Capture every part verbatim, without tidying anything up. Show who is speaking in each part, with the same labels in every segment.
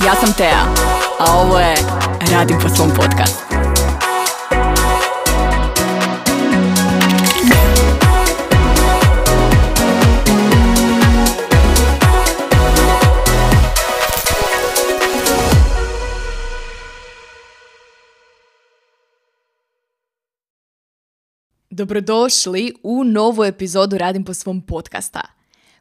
Speaker 1: Ja sam Tea, a ovo je Radim po svom podcastu. Dobrodošli u novu epizodu Radim po svom podcasta.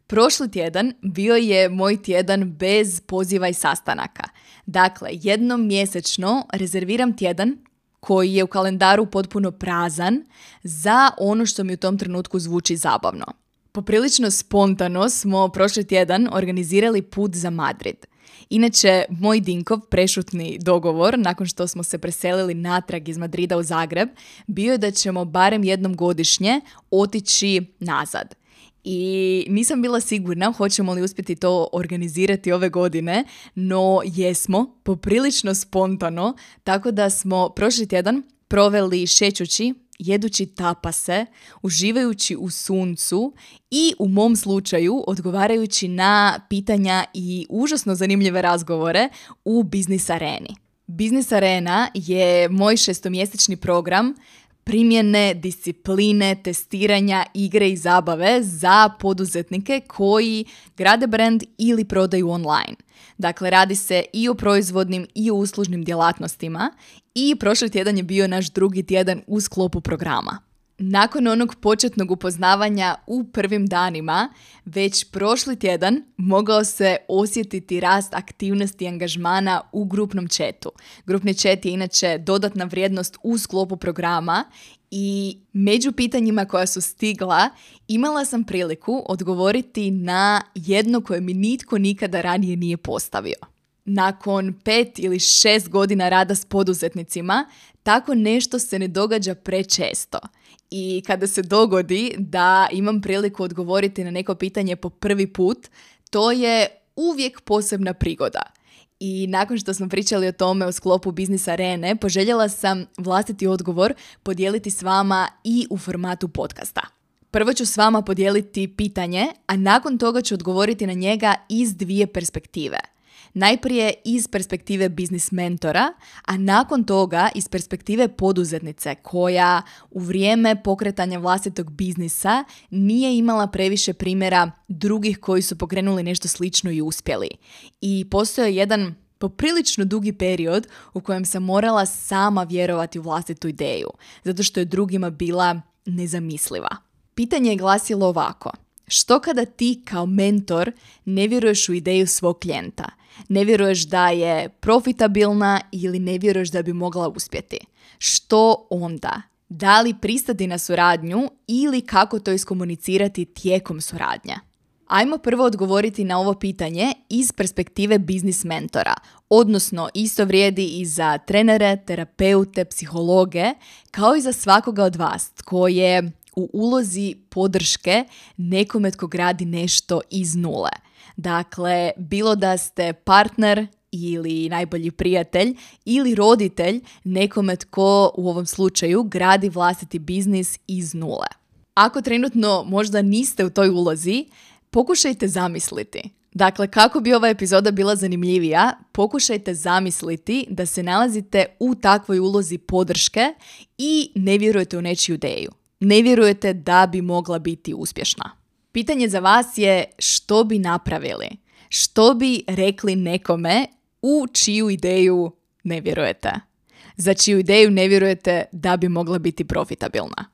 Speaker 1: Prošli tjedan bio je moj tjedan bez poziva i sastanaka. Dakle, jednom mjesečno rezerviram tjedan koji je u kalendaru potpuno prazan za ono što mi u tom trenutku zvuči zabavno. Poprilično spontano smo prošli tjedan organizirali put za Madrid. Inače, moj Dinkov prešutni dogovor, nakon što smo se preselili natrag iz Madrida u Zagreb, bio je da ćemo barem jednom godišnje otići nazad. I nisam bila sigurna hoćemo li uspjeti to organizirati ove godine, no jesmo, poprilično spontano, tako da smo prošli tjedan proveli šećući, jedući tapase, uživajući u suncu i u mom slučaju odgovarajući na pitanja i užasno zanimljive razgovore u Biznis Areni. Biznis Arena je moj šestomjesečni program primjene, discipline, testiranja, igre i zabave za poduzetnike koji grade brand ili prodaju online. Dakle, radi se i o proizvodnim i o uslužnim djelatnostima i prošli tjedan je bio naš drugi tjedan u sklopu programa. Nakon onog početnog upoznavanja u prvim danima, već prošli tjedan mogao se osjetiti rast aktivnosti i angažmana u grupnom chatu. Grupni chat je inače dodatna vrijednost u sklopu programa i među pitanjima koja su stigla imala sam priliku odgovoriti na jedno koje mi nitko nikada ranije nije postavio. Nakon pet ili šest godina rada s poduzetnicima, tako nešto se ne događa prečesto. I kada se dogodi da imam priliku odgovoriti na neko pitanje po prvi put, to je uvijek posebna prigoda. I nakon što smo pričali o tome u sklopu Biznis Arene, poželjela sam vlastiti odgovor podijeliti s vama i u formatu podcasta. Prvo ću s vama podijeliti pitanje, a nakon toga ću odgovoriti na njega iz dvije perspektive. Najprije iz perspektive biznis mentora, a nakon toga iz perspektive poduzetnice koja u vrijeme pokretanja vlastitog biznisa nije imala previše primjera drugih koji su pokrenuli nešto slično i uspjeli. I postoji jedan poprilično dugi period u kojem sam morala sama vjerovati u vlastitu ideju, zato što je drugima bila nezamisliva. Pitanje je glasilo ovako: što kada ti kao mentor ne vjeruješ u ideju svog klijenta? Ne vjeruješ da je profitabilna ili ne vjeruješ da bi mogla uspjeti? Što onda? Da li pristati na suradnju ili kako to iskomunicirati tijekom suradnje? Ajmo prvo odgovoriti na ovo pitanje iz perspektive biznis mentora, odnosno isto vrijedi i za trenere, terapeute, psihologe, kao i za svakoga od vas tko je u ulozi podrške nekome tko gradi nešto iz nule. Dakle, bilo da ste partner ili najbolji prijatelj ili roditelj nekome tko u ovom slučaju gradi vlastiti biznis iz nule. Ako trenutno možda niste u toj ulozi, pokušajte zamisliti. Dakle, kako bi ova epizoda bila zanimljivija, pokušajte zamisliti da se nalazite u takvoj ulozi podrške i ne vjerujete u nečiju ideju. Ne vjerujete da bi mogla biti uspješna. Pitanje za vas je što bi napravili? Što bi rekli nekome u čiju ideju ne vjerujete? Za čiju ideju ne vjerujete da bi mogla biti profitabilna?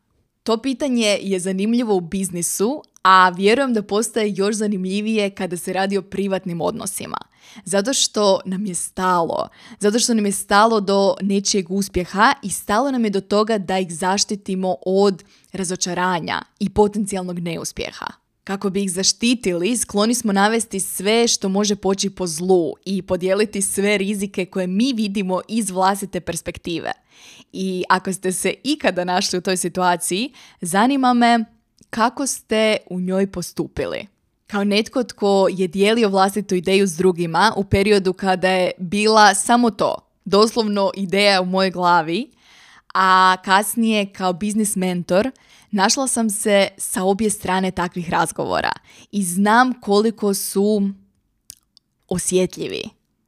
Speaker 1: To pitanje je zanimljivo u biznisu, a vjerujem da postaje još zanimljivije kada se radi o privatnim odnosima. Zato što nam je stalo. Zato što nam je stalo do nečijeg uspjeha i stalo nam je do toga da ih zaštitimo od razočaranja i potencijalnog neuspjeha. Kako bi ih zaštitili, skloni smo navesti sve što može poći po zlu i podijeliti sve rizike koje mi vidimo iz vlastite perspektive. I ako ste se ikada našli u toj situaciji, zanima me kako ste u njoj postupili. Kao netko tko je dijelio vlastitu ideju s drugima u periodu kada je bila samo to, doslovno ideja u mojoj glavi, a kasnije kao biznis mentor našla sam se sa obje strane takvih razgovora i znam koliko su osjetljivi.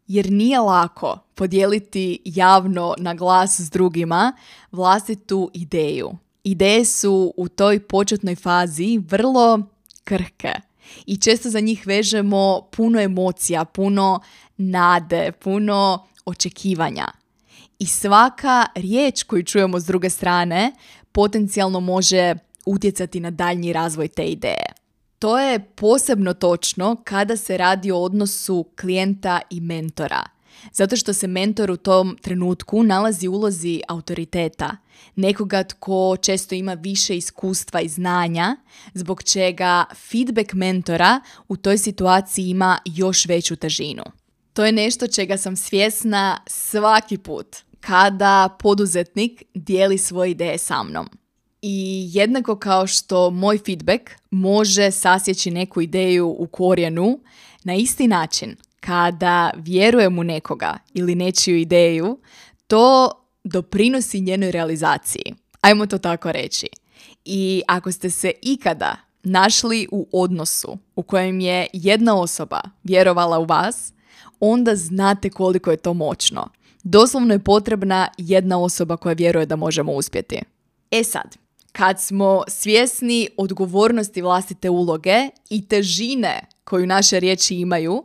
Speaker 1: jer nije lako podijeliti javno na glas s drugima vlastitu ideju. Ideje su u toj početnoj fazi vrlo krhke i često za njih vežemo puno emocija, puno nade, puno očekivanja. I svaka riječ koju čujemo s druge strane potencijalno može utjecati na daljnji razvoj te ideje. To je posebno točno kada se radi o odnosu klijenta i mentora. Zato što se mentor u tom trenutku nalazi u ulozi autoriteta, nekoga tko često ima više iskustva i znanja, zbog čega feedback mentora u toj situaciji ima još veću težinu. To je nešto čega sam svjesna svaki put kada poduzetnik dijeli svoje ideje sa mnom. I jednako kao što moj feedback može sasjeći neku ideju u korijenu, na isti način kada vjerujem u nekoga ili nečiju ideju, to doprinosi njenoj realizaciji. Ajmo to tako reći. I ako ste se ikada našli u odnosu u kojem je jedna osoba vjerovala u vas, onda znate koliko je to moćno. Doslovno je potrebna jedna osoba koja vjeruje da možemo uspjeti. E sad, kad smo svjesni odgovornosti vlastite uloge i težine koju naše riječi imaju,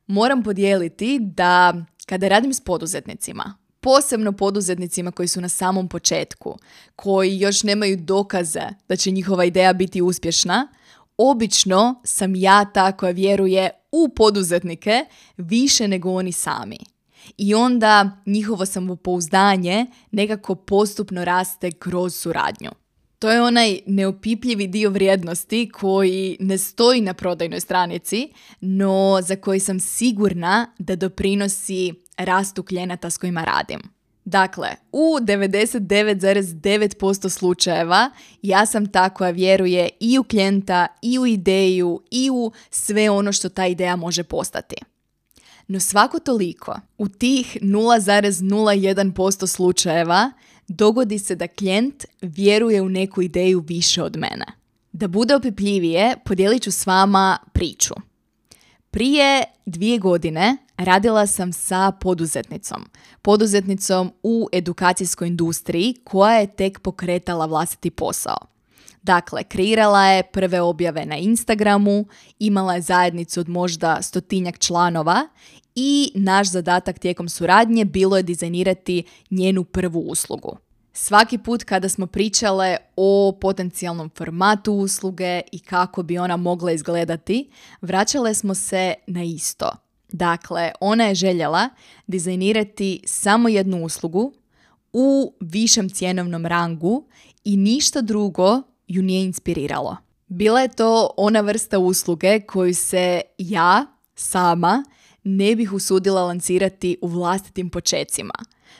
Speaker 1: moram podijeliti da kada radim s poduzetnicima, posebno poduzetnicima koji su na samom početku, koji još nemaju dokaze da će njihova ideja biti uspješna, obično sam ja ta koja vjeruje u poduzetnike više nego oni sami. I onda njihovo samopouzdanje nekako postupno raste kroz suradnju. To je onaj neopipljivi dio vrijednosti koji ne stoji na prodajnoj stranici, no za koji sam sigurna da doprinosi rastu klijenata s kojima radim. Dakle, u devedeset devet zarez devet posto slučajeva ja sam ta koja vjeruje i u klijenta, i u ideju, i u sve ono što ta ideja može postati. No svako toliko, u tih nula zarez nula jedan posto slučajeva dogodi se da klijent vjeruje u neku ideju više od mene. Da bude opipljivije, podijelit ću s vama priču. Prije dvije godine radila sam sa poduzetnicom. Poduzetnicom u edukacijskoj industriji koja je tek pokretala vlastiti posao. Dakle, kreirala je prve objave na Instagramu, imala je zajednicu od možda stotinjak članova i naš zadatak tijekom suradnje bilo je dizajnirati njenu prvu uslugu. Svaki put kada smo pričale o potencijalnom formatu usluge i kako bi ona mogla izgledati, vraćale smo se na isto. Dakle, ona je željela dizajnirati samo jednu uslugu u višem cjenovnom rangu i ništa drugo ju nije inspiriralo. Bila je to ona vrsta usluge koju se ja sama ne bih usudila lancirati u vlastitim počecima.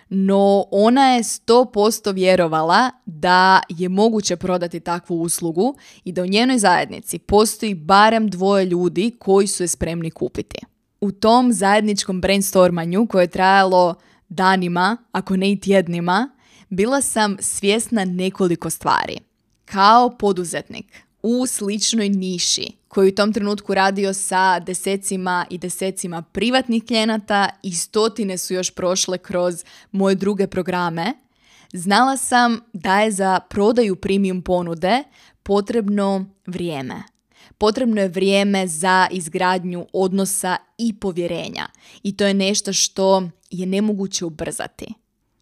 Speaker 1: No ona je sto posto vjerovala da je moguće prodati takvu uslugu i da u njenoj zajednici postoji barem dvoje ljudi koji su je spremni kupiti. U tom zajedničkom brainstormanju koje je trajalo danima, ako ne i tjednima, bila sam svjesna nekoliko stvari. Kao poduzetnik u sličnoj niši koji u tom trenutku radio sa desecima i desecima privatnih klijenata i stotine su još prošle kroz moje druge programe, znala sam da je za prodaju premium ponude potrebno vrijeme. Potrebno je vrijeme za izgradnju odnosa i povjerenja i to je nešto što je nemoguće ubrzati.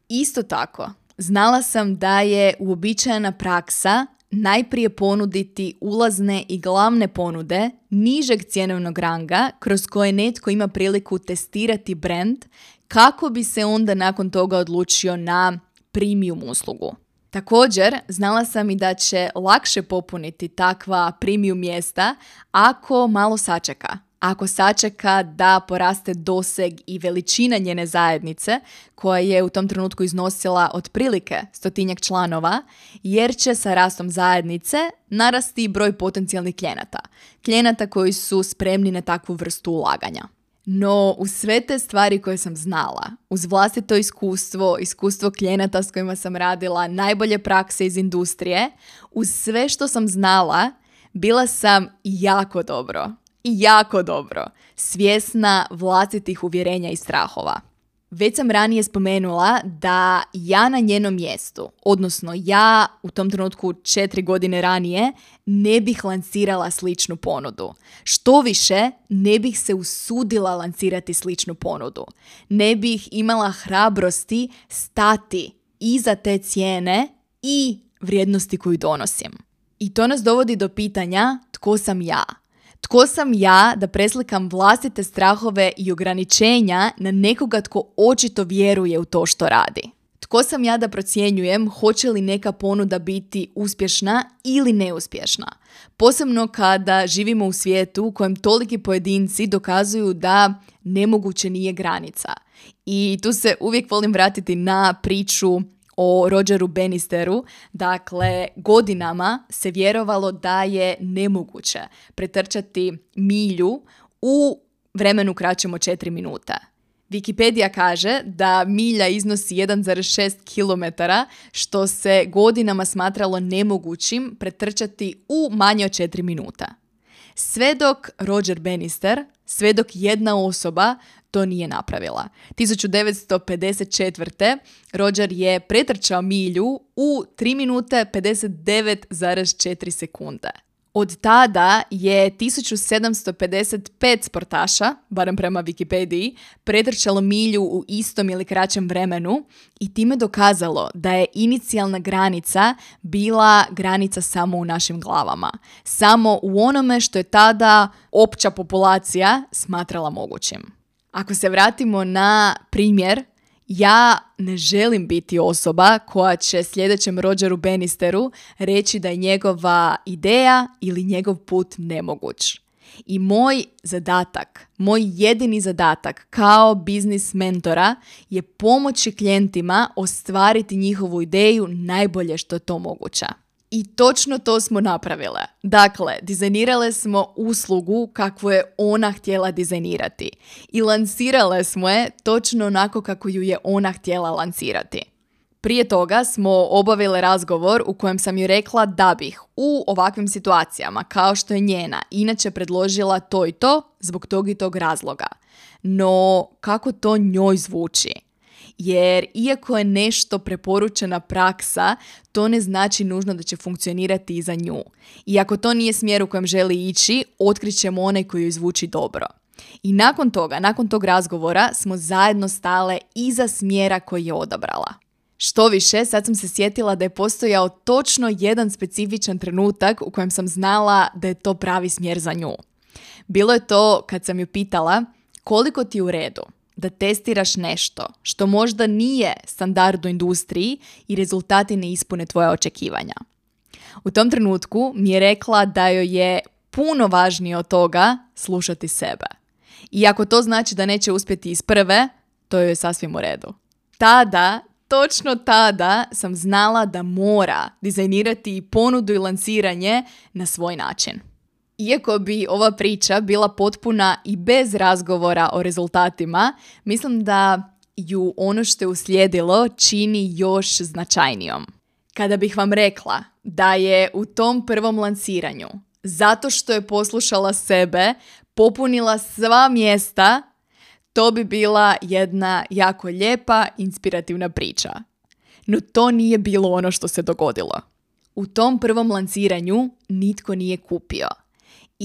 Speaker 1: Isto tako, znala sam da je uobičajena praksa najprije ponuditi ulazne i glavne ponude nižeg cjenovnog ranga kroz koje netko ima priliku testirati brand kako bi se onda nakon toga odlučio na premium uslugu. Također, znala sam i da će lakše popuniti takva premium mjesta ako malo sačeka. Ako sačeka da poraste doseg i veličina njene zajednice, koja je u tom trenutku iznosila otprilike stotinjak članova, jer će sa rastom zajednice narasti broj potencijalnih klijenata. Klijenata koji su spremni na takvu vrstu ulaganja. No, uz sve te stvari koje sam znala, uz vlastito iskustvo, iskustvo klijenata s kojima sam radila, najbolje prakse iz industrije, uz sve što sam znala, bila sam jako dobro, I jako dobro. Svjesna vlastitih uvjerenja i strahova. Već sam ranije spomenula da ja na njenom mjestu, odnosno ja u tom trenutku četiri godine ranije, ne bih lancirala sličnu ponudu. Što više, ne bih se usudila lancirati sličnu ponudu. Ne bih imala hrabrosti stati iza te cijene i vrijednosti koju donosim. I to nas dovodi do pitanja tko sam ja. Tko sam ja da preslikam vlastite strahove i ograničenja na nekoga tko očito vjeruje u to što radi? Tko sam ja da procjenjujem hoće li neka ponuda biti uspješna ili neuspješna? Posebno kada živimo u svijetu u kojem toliki pojedinci dokazuju da nemoguće nije granica. I tu se uvijek volim vratiti na priču o Rogeru Bannisteru. Dakle, godinama se vjerovalo da je nemoguće pretrčati milju u vremenu kraćem od četiri minuta. Wikipedia kaže da milja iznosi jedan zarez šest kilometara, što se godinama smatralo nemogućim pretrčati u manje od četiri minuta. Sve dok Roger Bannister, sve dok jedna osoba to nije napravila. tisuću devetsto pedeset četvrte. Roger je pretrčao milju u tri minute pedeset devet zarez četiri sekunde. Od tada je tisuću sedamsto pedeset pet sportaša, barem prema Wikipediji, pretrčalo milju u istom ili kraćem vremenu i time dokazalo da je inicijalna granica bila granica samo u našim glavama. Samo u onome što je tada opća populacija smatrala mogućim. Ako se vratimo na primjer, ja ne želim biti osoba koja će sljedećem Rogeru Bannisteru reći da je njegova ideja ili njegov put nemoguć. I moj zadatak, moj jedini zadatak kao biznis mentora je pomoći klijentima ostvariti njihovu ideju najbolje što je to moguće. I točno to smo napravile. Dakle, dizajnirale smo uslugu kakvu je ona htjela dizajnirati. I lansirale smo je točno onako kako ju je ona htjela lansirati. Prije toga smo obavile razgovor u kojem sam joj rekla da bih u ovakvim situacijama, kao što je njena, inače predložila to i to zbog tog i tog razloga. No, kako to njoj zvuči? Jer iako je nešto preporučena praksa, to ne znači nužno da će funkcionirati i za nju. I ako to nije smjer u kojem želi ići, otkrićemo onaj koji joj zvuči dobro. I nakon toga, nakon tog razgovora, smo zajedno stale iza smjera koji je odabrala. Što više, sad sam se sjetila da je postojao točno jedan specifičan trenutak u kojem sam znala da je to pravi smjer za nju. Bilo je to kad sam ju pitala koliko ti je u redu da testiraš nešto što možda nije standard u industriji i rezultati ne ispune tvoja očekivanja. U tom trenutku mi je rekla da joj je puno važnije od toga slušati sebe. I ako to znači da neće uspjeti iz prve, to joj je sasvim u redu. Tada, točno tada sam znala da mora dizajnirati ponudu i lansiranje na svoj način. Iako bi ova priča bila potpuna i bez razgovora o rezultatima, mislim da ju ono što je uslijedilo čini još značajnijom. Kada bih vam rekla da je u tom prvom lansiranju, zato što je poslušala sebe, popunila sva mjesta, to bi bila jedna jako lijepa, inspirativna priča. No to nije bilo ono što se dogodilo. U tom prvom lansiranju nitko nije kupio.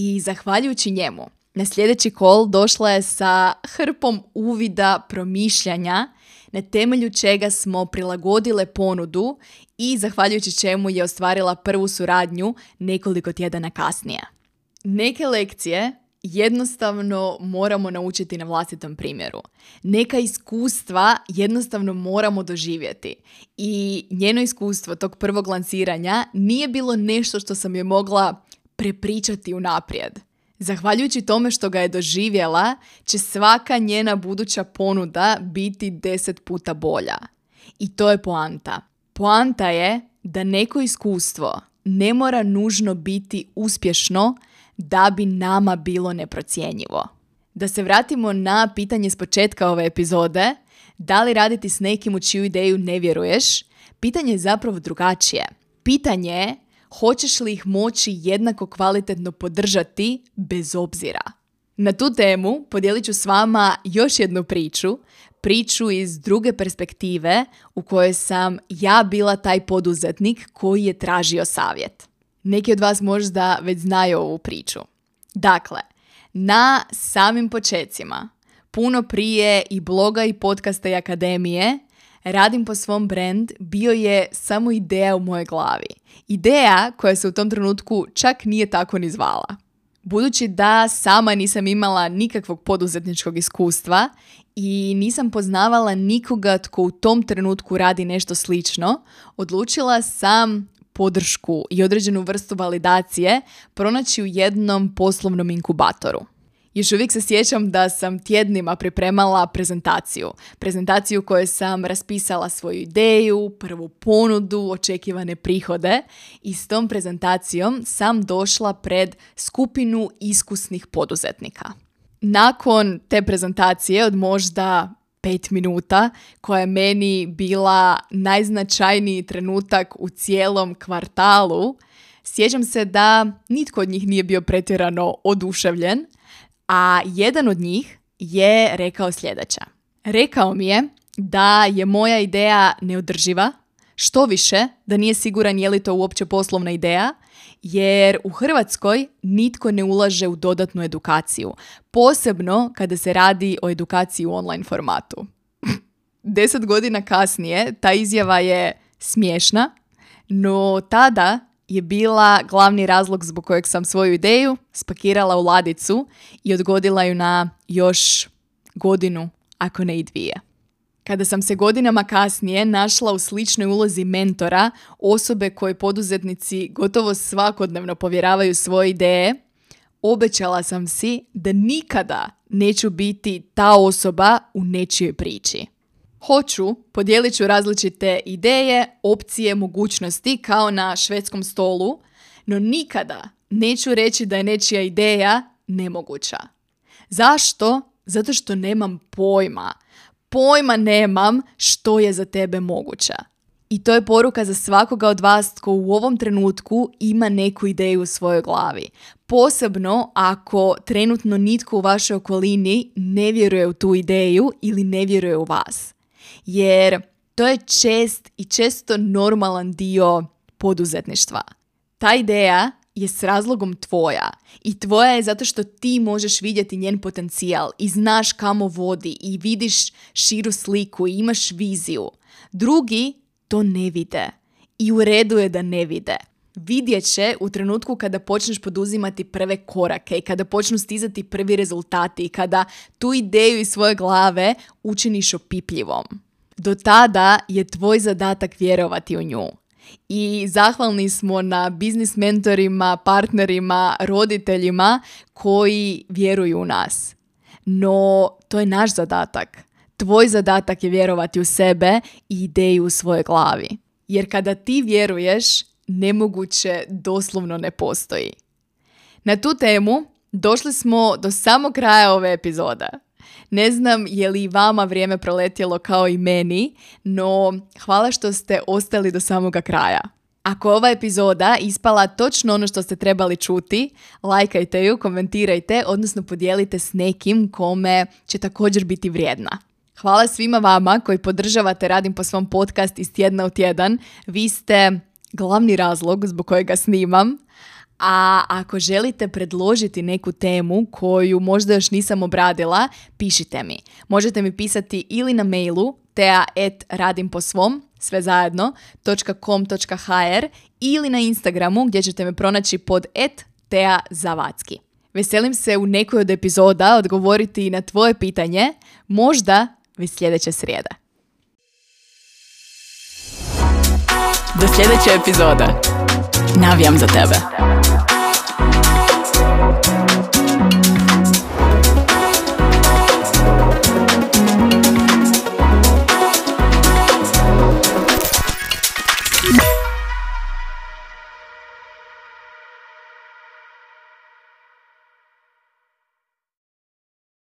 Speaker 1: I zahvaljujući njemu, na sljedeći call došla je sa hrpom uvida, promišljanja, na temelju čega smo prilagodile ponudu i zahvaljujući čemu je ostvarila prvu suradnju nekoliko tjedana kasnije. Neke lekcije jednostavno moramo naučiti na vlastitom primjeru. Neka iskustva jednostavno moramo doživjeti. I njeno iskustvo tog prvog lansiranja nije bilo nešto što sam joj mogla prepričati unaprijed. Zahvaljujući tome što ga je doživjela, će svaka njena buduća ponuda biti deset puta bolja. I to je poanta. Poanta je da neko iskustvo ne mora nužno biti uspješno da bi nama bilo neprocjenjivo. Da se vratimo na pitanje s početka ove epizode, da li raditi s nekim u čiju ideju ne vjeruješ, pitanje je zapravo drugačije. Pitanje je hoćeš li ih moći jednako kvalitetno podržati bez obzira? Na tu temu podijelit ću s vama još jednu priču, priču iz druge perspektive u kojoj sam ja bila taj poduzetnik koji je tražio savjet. Neki od vas možda već znaju ovu priču. Dakle, na samim počecima, puno prije i bloga i podcasta i akademije, Radim po svom brand bio je samo ideja u mojoj glavi. Ideja koja se u tom trenutku čak nije tako ni zvala. Budući da sama nisam imala nikakvog poduzetničkog iskustva i nisam poznavala nikoga tko u tom trenutku radi nešto slično, odlučila sam podršku i određenu vrstu validacije pronaći u jednom poslovnom inkubatoru. Još uvijek se sjećam da sam tjednima pripremala prezentaciju. Prezentaciju u kojoj sam raspisala svoju ideju, prvu ponudu, očekivane prihode i s tom prezentacijom sam došla pred skupinu iskusnih poduzetnika. Nakon te prezentacije od možda pet minuta, koja je meni bila najznačajniji trenutak u cijelom kvartalu, sjećam se da nitko od njih nije bio pretjerano oduševljen, a jedan od njih je rekao sljedeće. Rekao mi je da je moja ideja neodrživa, što više da nije siguran je li to uopće poslovna ideja, jer u Hrvatskoj nitko ne ulaže u dodatnu edukaciju, posebno kada se radi o edukaciji u online formatu. Deset godina kasnije ta izjava je smiješna, no tada je bila glavni razlog zbog kojeg sam svoju ideju spakirala u ladicu i odgodila ju na još godinu, ako ne i dvije. Kada sam se godinama kasnije našla u sličnoj ulozi mentora, osobe koje poduzetnici gotovo svakodnevno povjeravaju svoje ideje, obećala sam si da nikada neću biti ta osoba u nečijoj priči. Hoću, podijelit ću različite ideje, opcije, mogućnosti kao na švedskom stolu, no nikada neću reći da je nečija ideja nemoguća. Zašto? Zato što nemam pojma. Pojma nemam što je za tebe moguće. I to je poruka za svakoga od vas tko u ovom trenutku ima neku ideju u svojoj glavi. Posebno ako trenutno nitko u vašoj okolini ne vjeruje u tu ideju ili ne vjeruje u vas. Jer to je čest i često normalan dio poduzetništva. Ta ideja je s razlogom tvoja i tvoja je zato što ti možeš vidjeti njen potencijal i znaš kamo vodi i vidiš širu sliku i imaš viziju. Drugi to ne vide i u redu je da ne vide. Vidjet će u trenutku kada počneš poduzimati prve korake i kada počnu stizati prvi rezultati i kada tu ideju iz svoje glave učiniš opipljivom. Do tada je tvoj zadatak vjerovati u nju. I zahvalni smo na biznis mentorima, partnerima, roditeljima koji vjeruju u nas. No, to je naš zadatak. Tvoj zadatak je vjerovati u sebe i ideju u svojoj glavi. Jer kada ti vjeruješ, nemoguće doslovno ne postoji. Na tu temu došli smo do samog kraja ove epizode. Ne znam je li vama vrijeme proletjelo kao i meni, no hvala što ste ostali do samoga kraja. Ako ova epizoda ispala točno ono što ste trebali čuti, lajkajte ju, komentirajte, odnosno podijelite s nekim kome će također biti vrijedna. Hvala svima vama koji podržavate Radim po svom podcast iz tjedna u tjedan. Vi ste glavni razlog zbog kojega snimam. A ako želite predložiti neku temu koju možda još nisam obradila, pišite mi. Možete mi pisati ili na mailu tea at radimposvom, sve zajedno, .com dot h r ili na Instagramu gdje ćete me pronaći pod at teazavacki. Veselim se u nekoj od epizoda odgovoriti na tvoje pitanje, možda već sljedeće srijede. Do sljedeće epizode. Navijam za tebe.